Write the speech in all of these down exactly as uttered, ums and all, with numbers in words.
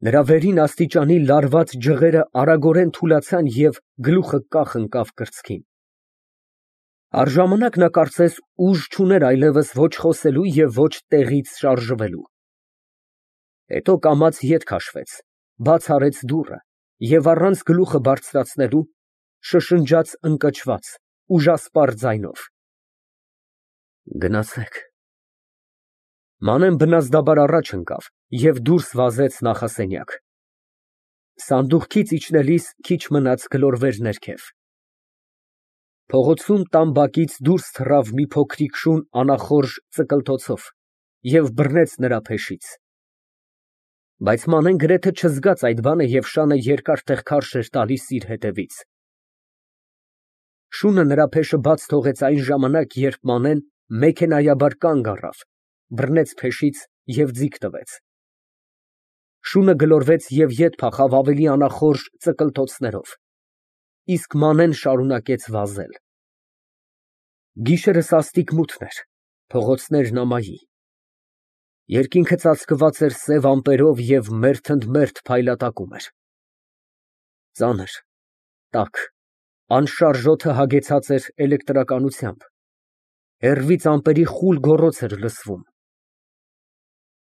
Նրա վերին աստիճանի լարված ջղերը արագորեն թուլացան և գլուխը կախ ընկավ կրծքին։ Առժամանակ նա կարծես ուժ չուներ այլևս ոչ խոսելու և ոչ տեղից շարժվելու։ Հետո կամաց ետ քաշվեց, բաց արեց դուռը և առանց գլուխը բարձրացնելու, շշնջաց ընկճված, ուժասպառ ձայնով. «Գնացեք»։ Մանեն բնազդաբար առաջ ընկավ և դուրս վազեց նախասենյակ։ Սանդուղքից իջնելիս քիչ մնաց գլորվեր ներքև։ Փողոցում տան բակից դուրս թռավ մի փոքրիկ շուն անախորժ ծկլթոցով և բռնեց նրա փեշից։ Բայց Մանեն գրեթե չզգաց այդ բանը և շանը երկար տեղ քարշ էր տալիս իր ետևից։ Շունը նրա փեշը բաց թողեց այն ժամանակ, երբ Մանեն մեքենայաբար կանգ առավ, բռնեց փեշից և ձիգ տվեց։ Շունը գլորվեց և ետ փախավ ավելի անախորժ ծկլթոցներով, իսկ Մանեն շարունակեց վազել։ Գիշերը սաստիկ մութն էր, փողոցներն ամայի։ Երկինքը ծածկված էր սև ամպերով և մերթ ընդ մերթ փայլատակում էր։ Ծանր, տաք, անշարժ օդը հագեցած էր էլեկտրականությամբ, հեռվից ամպերի խուլ գոռոց էր լսվում։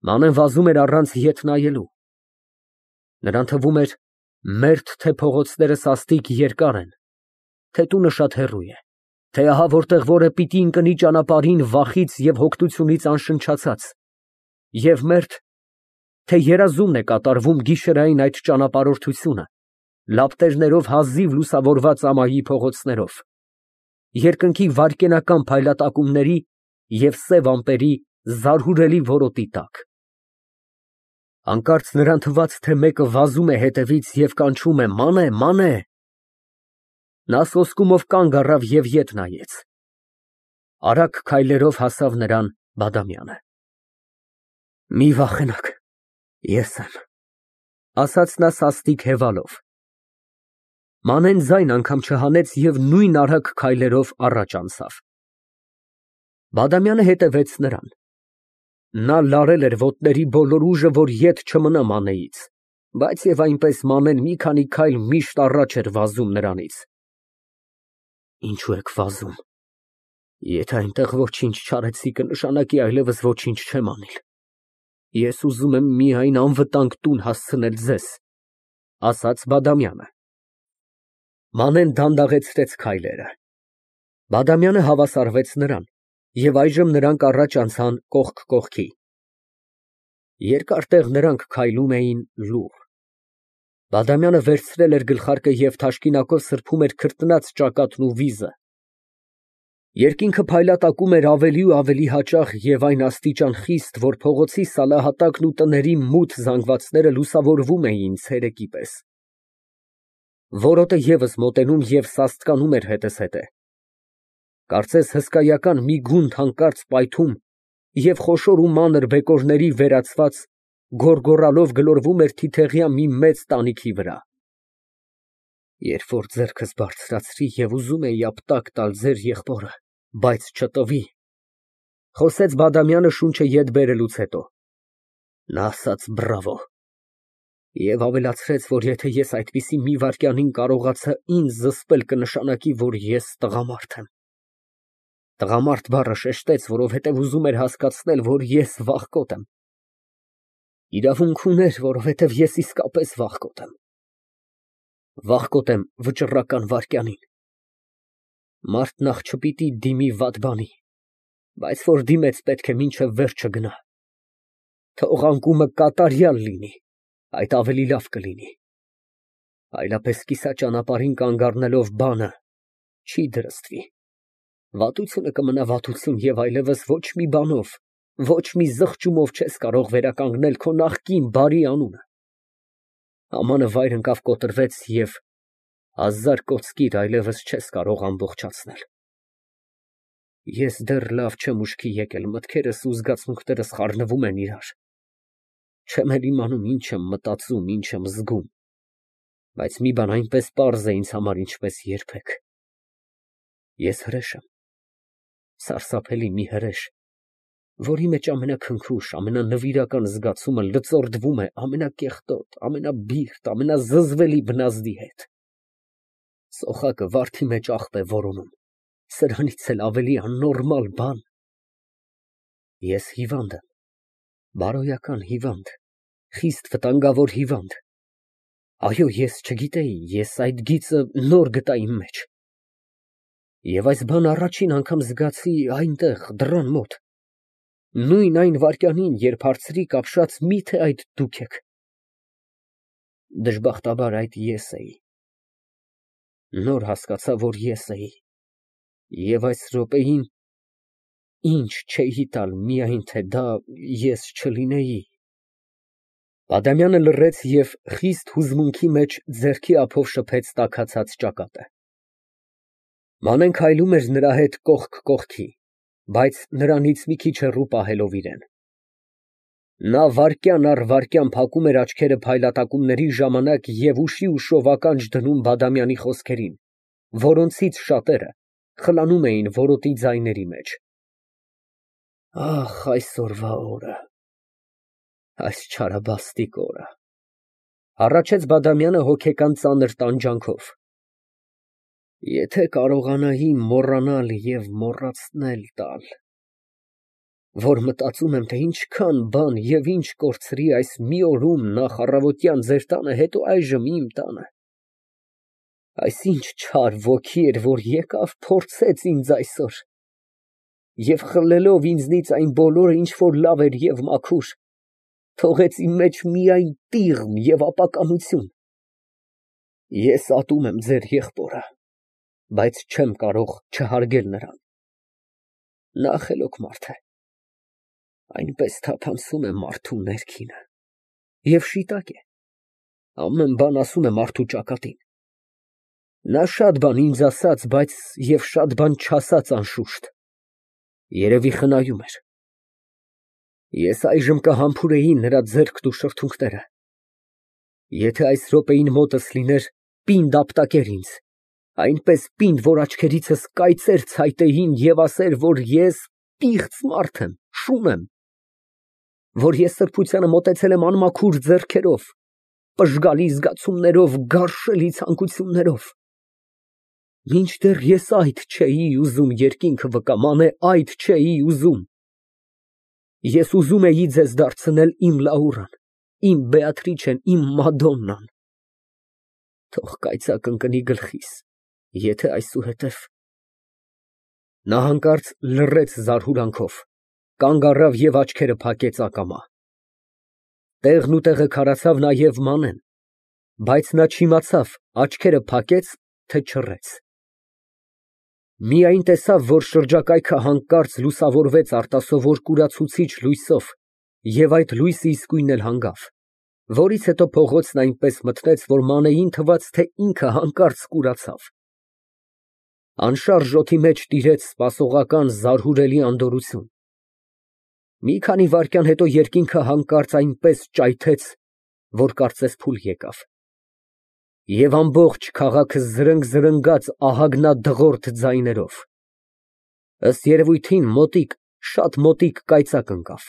Մանեն վազում էր առանց ետ նայելու։ Նրան թվում էր մերթ թե փողոցները սաստիկ երկար են, թե տունը շատ հեռու է, թե ահա որտեղ որը պիտի ընկնի ճանապարհին վախից և հոգնությունից անշնչացած, և մերթ, թե երազումն է կատարվում գիշերային այդ ճանապարհորդությունը, լապտերներով հազիվ լուսավորված ամայի փողոցներով, երկնքի վայրկենական փայլատակումների և սև ամպերի զարհուրելի որոտի տակ։ Հանկարծ նրան թվաց, թե մեկը վազում է հետևից և կանչում է. «Մանե, Մանե»։ Նա սոսկումով կանգ առավ և ետ նայեց։ Արագ քայլերով հասավ նրան Բադամյանը։ «Մի վախենաք, ես եմ», ֊ ասաց նա սաստիկ հևալով։ Մանեն ձայն անգամ չհանեց և նույն արագ քայլերով առաջ անցավ։ Բադամյանը հետևեց նրան։ Նա լարել էր ոտների բոլոր ուժը, որ ետ չմնա Մանեից, բայց և այնպես Մանեն մի քանի քայլ միշտ առաջ էր վազում նրանից։ «Ինչո՞ւ եք վազում, եթե այնտեղ ոչինչ չարեցի, կնշանակի այլևս ոչինչ չեմ անիլ։ Ես ուզում եմ միայն անվտանգ տուն հասցնել ձեզ», ֊ ասաց Բադամյանը։ Մանեն դանդաղեցրեց քայլերը։ Բադամյանը հավասարվեց նրան, և այժմ նրանք առաջ անցան կողք կողքի։ Երկար տեղ նրանք քայլում էին լուռ։ Բադամյանը վերցրել էր գլխարկը և թաշկինակով սրբում էր քրտնած ճակատն ու վիզը։ Երկինքը փայլատակում էր ավելի ու ավելի հաճախ և այն աստիճան խիստ, որ փողոցի սալահատակն ու տների մութ զանգվածները լուսավորվում էին ցերեկի պես։ Որոտը ևս մոտենում և սաստկանում էր հետզհետե։ Կարծես հսկայական մի գունդ հանկարծ պայթում և խոշոր ու մանր բեկորների վերացված, գոռգոռալով գլորվում էր թիթեղյա մի մեծ տանիքի վրա։ «Երբ որ ձեռքս բարձրացրի և ուզում էի ապտակ տալ ձեր եղբորը, բայց չտվի», ֊ խոսեց Բադամյանը շունչը ետ բերելուց հետո։ Նա ասաց. «Բրավո» և ավելացրեց, որ եթե ես այդպիսի մի վայրկյանին կարողացա ինձ զսպել, կնշանակի, որ ես տղամարդ եմ։ Տղամարդ բառը շեշտեց, որովհետև ուզում էր հասկացնել, որ ես վախկոտ եմ։ Իրավունք ուներ, որովհետև ես իսկապես վախկոտ եմ։ Վախկոտ եմ վճռական վայրկյանին։ Մարդ նախ չպիտի դիմի վատ բանի, բայց որ դիմեց, պետք է մինչև վերջը գնա։ Թող անկումը կատարյալ լինի, այդ ավելի լավ կլինի։ Այլապես կիսաճանապարհին կանգ առնելով բանը չի դրստվի։ Վատությունը կմնա վատություն և այլևս ոչ մի բանով, ոչ մի զղջումով չես կարող վերականգնել քո նախկին բարի անունը։ Ամանը վայր ընկավ կոտրվեց և հազար կոծկիր այլևս չես կարող ամբողջացնել։ Ես դեռ լավ չեմ ուշքի եկել, մտքերս ու զգացմունքներս խառնվում են իրար։ Չեմ էլ իմանում ինչ եմ մտածում, ինչ եմ զգում, բայց մի բան այնպես պարզ է ինձ համար, ինչպես երբեք. ես հրեշ եմ, սարսափելի մի հրեշ, որի մեջ ամենաքնքուշ, ամենանվիրական զգացումը լծորդվում է ամենակեղտոտ, ամենաբիրտ, ամենազզվելի բնազդի հետ։ Սոխակը վարդի մեջ աղբ է որոնում, սրանից էլ ավելի աննորմալ բան։ Ես հիվանդ եմ, բարոյական հիվանդ, խիստ վտանգավոր հիվանդ։ Այո, ես չգիտեի, ես այդ գիծը նոր գտա իմ մեջ։ Եվ այս բան առաջին անգամ զգացի այնտեղ, դռան մոտ։ Նույն այն վայրկյանին, երբ հարցրիք ապշած, միթե այդ դուք եք։ Դժբախտաբար այդ ես էի։ Նոր հասկացա, որ ես էի։ Եվ այս րոպեին ինչ չէի տալ, միայն թե դա ես չլինեի։ Բադամյանը լռեց և խիստ հուզմունքի մեջ ձեռքի ափով շփեց տաքացած ճակատը։ Մանեն քայլում էր նրա հետ կողք կողքի, բայց նրանից մի քիչ հեռու պահելով իրեն։ Նա վայրկյան առ վայրկյան փակում էր աչքերը փայլատակումների ժամանակ և ուշի ուշով ականջ դնում Բադամյանի խոսքերին, որոնցից շատերը խլանում էին որոտի ձայների մեջ։ Ահ, այսօրվա օրը, այս չարաբաստիկ օրը, հառաչեց Բադամյանը հոգեկան ծանր տանջանքով։ Եթե կարողանայի մոռանալ և մոռացնել տալ, որ մտածում եմ, թե ինչքան բան և ինչ կորցրի այս մի օրում նախ առավոտյան ձեր տանը, հետո այժմ իմ տանը, այս ինչ չար ոգի էր, որ եկավ փորձեց ինձ այսօր, և խլելով ինձնից այն բոլորը, ինչ որ լավ էր և մաքուր, թողեց իմ մեջ միայն տիղմ և ապականություն։ Ես ատում եմ ձեր եղբորը, բայց չեմ կարող չհարգել նրան։ Նա խելոք մարդ է, այնպես թափանցում է մարդու ներքինը և շիտակ է, ամեն բան ասում է մարդու ճակատին։ Նա շատ բան ինձ ասաց, բայց և շատ բան չասաց անշուշտ, երևի խնայում էր։ Ես այժմ կհամբուրեի նրա ձեռքն ու շրթունքները։ Եթե այս րոպեին մոտս լիներ, պինդ ապտակեր ինձ, այնպես պինդ, որ աչքերիցս կայծեր ցայտեին և ասեր, որ ես պիղծ մարդ եմ, շուն եմ, որ ես սրբությանը մոտեցել եմ անմաքուր ձեռքերով, պժգալի զգացումներով, գարշելի ցանկություններով։ Մինչդեռ ես այդ չէի ուզում, երկինքը վկա, մանե այդ չէի ուզում։ Ես ուզում էի ձեզ դարձնել իմ Լաուրան, իմ Բեատրիչեն, իմ Մադոննան։ Թող կայծակ ընկնի գլխիս, եթե այսուհետև… Նա հանկարծ լռեց զարհուրանքով, կանգ առավ և աչքերը փակեց ակամա։ Տեղն ու տեղը քարացավ նաև Մանեն, բայց նա չիմացավ աչքերը փակեց, թե չռեց։ Միայն տեսավ, որ շրջակայքը հանկարծ լուսավորվեց արտասովոր կուրացուցիչ լույսով և այդ լույսը իսկույն էլ հանգավ, որից հետո փողոցն այնպես մթնեց, որ Մանեին թվաց, թե ինքը հանկարծ կուրացավ։ Անշարժ օդի մեջ տիրեց սպասողական զարհուրելի անդորրություն։ Մի քանի վայրկյան հետո երկինքը հանկարծ այնպես ճայթեց, որ կարծես փուլ եկավ, և ամբողջ քաղաքը զրնգ֊զրնգաց ահագնադղրդ ձայներով։ Ըստ երևույթին, մոտիկ, շատ մոտիկ կայծակ ընկավ։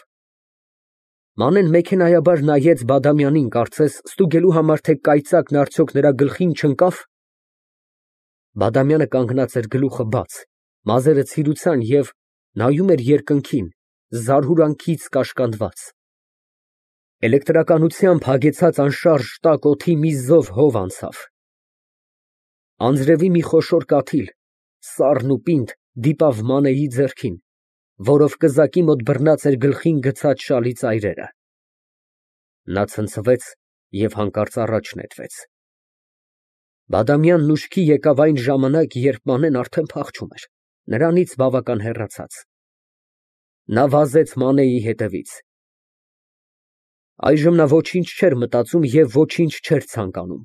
Մանեն մեքենայաբար նայեց Բադամյանին, կարծես ստուգելու համար, թե կայծակն արդյոք նրա գլխին չընկա՞վ։ Բադամյանը կանգնած էր գլուխը բաց, մազերը ցիրուցան և նայում էր երկնքին, զարհուրանքից կաշկանդված։ Էլեկտրականությամբ հագեցած անշարժ տաք օդի մի զով հով անցավ։ Անձրևի մի խոշոր կաթիլ, սառն ու պինդ, դիպավ Մանեի ձեռքին, որով կզակի մոտ բռնած էր գլխին գցած շալի ծայրերը։ Նա ցնցվեց և հանկարծ առաջ նետվեց։ Բադամյանն ուշքի եկավ այն ժամանակ, երբ Մանեն արդեն փախչում էր, նրանից բավական հեռացած։ Նա վազեց Մանեի հետևից։ Այժմ նա ոչինչ չէր մտածում և ոչինչ չէր ցանկանում։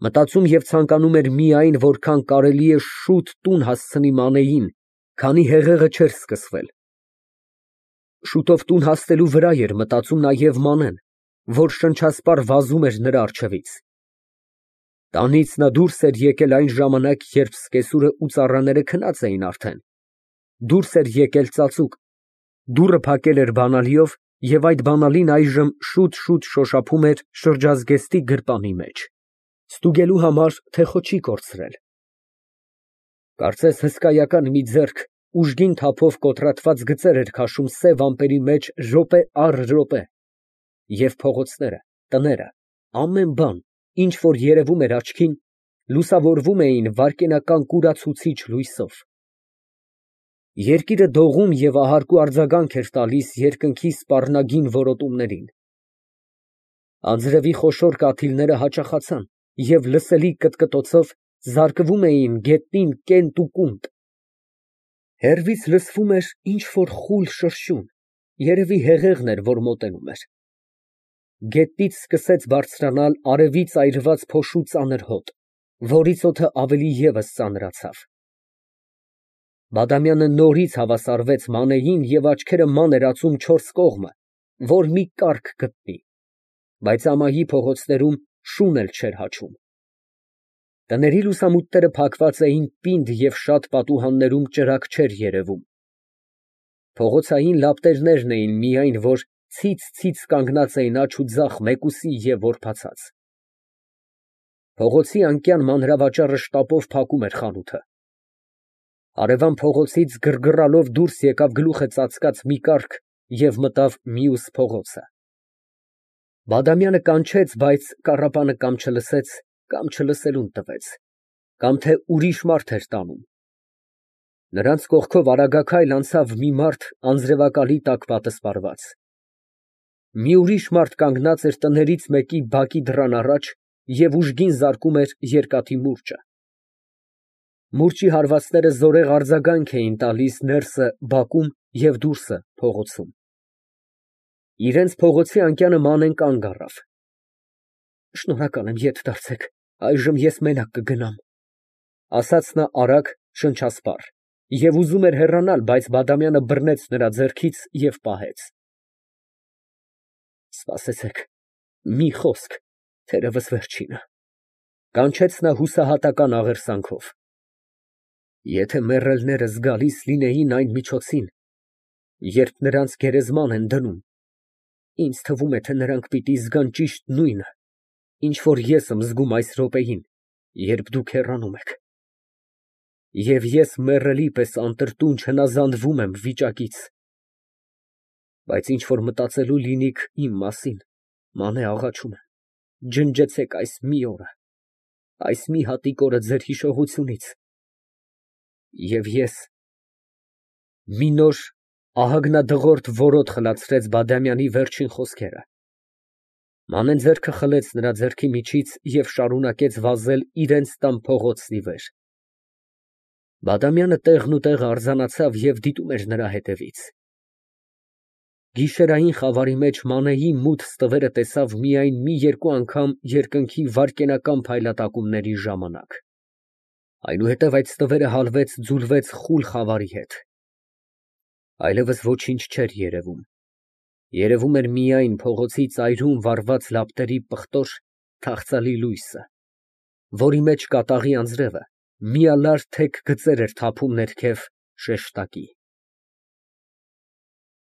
Մտածում և ցանկանում էր միայն, որքան կարելի է շուտ տուն հասցնի Մանեին, քանի հեղեղը չէր սկսվել։ Շուտով տուն հասնելու վրա էր մտածում նաև Մանեն, որ շնչասպառ վազում էր նրա առջևից։ Տանից նա դուրս էր եկել այն ժամանակ, երբ սկեսուրը ու ծառաները քնած էին արդեն, դուրս էր եկել ծածուկ, Դուռը փակել էր բանալիով, և այդ բանալին այժմ շուտ֊շուտ շոշափում էր շրջազգեստի գրպանի մեջ, ստուգելու համար, թե խո չի կորցրել։ Կարծես հսկայական մի ձեռք ուժգին թափով կոտրատված գծեր էր քաշում սև ամպերի մեջ րոպե առ րոպե, և փողոցները, տները, ամեն բան, ինչ որ երևում էր աչքին, լուսավորվում էին վայրկենական կուրացուցիչ լույսով։ Երկիրը դողում և ահարկու արձագանք էր տալիս երկնքի սպառնագին որոտումներին։ Անձրևի խոշոր կաթիլները հաճախացան և լսելի կտկտոցով զարկվում էին գետնին կենտ ու կունտ։ Հեռվից լսվում էր ինչ֊որ խուլ շրշյուն, երևի հեղեղն էր, որ մոտենում էր։ Գետնից սկսեց բարձրանալ արևից այրված փոշու ծանր հոտ, որից օդը ավելի ևս ծանրացավ։ Բադամյանը նորից հավասարվեց Մանեին և աչքերը ման էր ածում չորս կողմը, որ մի կառք գտնի, բայց ամայի փողոցներում շուն էլ չէր հաչում։ Տների լուսամուտները փակված էին պինդ և շատ պատուհաններում ճրագ չէր երևում։ Փողոցային լապտերներն էին միայն, որ ցից֊ցից կանգնած էին աջ ու ձախ մեկուսի և որբացած։ Փողոցի անկյան մանրավաճառը շտապով փակում էր խանութը։ Հարևան փողոցից գրգռալով դուրս եկավ գլուխը ծածկած մի կառք և մտավ մյուս փողոցը։ Բադամյանը կանչեց, բայց կառապանը կամ չլսեց, կամ չլսելուն տվեց, կամ թե ուրիշ մարդ էր տանում։ Նրանց կողքով արագաքայլ անցավ մի մարդ անձրևակալի տակ պատսպարված։ Մի ուրիշ մարդ կանգնած էր տներից մեկի բակի դռան առաջ և ուժգին զարկում էր երկաթի մուրճը։ Մուրճի հարվածները զորեղ արձագանք էին տալիս ներսը բակում և դուրսը փողոցում։ Իրենց փողոցի անկյանը Մանեն կանգ առավ։ Շնորհակալ եմ, ետ դարձեք, այժմ ես մենակ կգնամ, ասաց նա արագ, շնչասպառ, և ուզում էր հեռանալ, բայց Բադամյանը բռնեց նրա ձեռքից և պահեց։ Սպասեցեք, մի խոսք, թերևս վերջինը, կանչեց նա հուսահատական աղերսանքով։ Եթե մեռելները զգալիս լինեին այն միջոցին, երբ նրանց գերեզման են դնում, ինձ թվում է, թե նրանք պիտի զգան ճիշտ նույնը, ինչ որ ես եմ զգում այս րոպեին, երբ դուք հեռանում եք։ Եվ ես մեռելի պես անտրտունջ հնազանդվում եմ վիճակից։ Բայց ինչ որ մտածելու լինիք իմ մասին, Մանե աղաչում եմ, ջնջեցեք այս մի օրը, այս մի հատիկ օրը ձեր հիշողությունից, և ես… Մի նոր ահագնադղրդի որոտ խլացրեց Բադամյանի վերջին խոսքերը։ Մանեն ձեռքը խլեց նրա ձեռքի միջից և շարունակեց վազել իրենց տան փողոցն ի վեր։ Բադամյանը տեղնուտեղը արձանացավ և դիտում էր նրա հետևից։ Գիշերային խավարի մեջ Մանեի մութ ստվերը տեսավ միայն մի երկու անգամ երկնքի վայրկենական փայլատակումների ժամանակ։ Այնուհետև այդ ստվերը հալվեց ձուլվեց խուլ խավարի հետ։ Այլևս ոչինչ չէր երևում։ Երևում էր միայն փողոցի ծայրում վառված լապտերի պղտոր, թախծալի լույսը, որի մեջ կատաղի անձրևը միալար թեք գծեր էր թափում ներքև շեշտակի։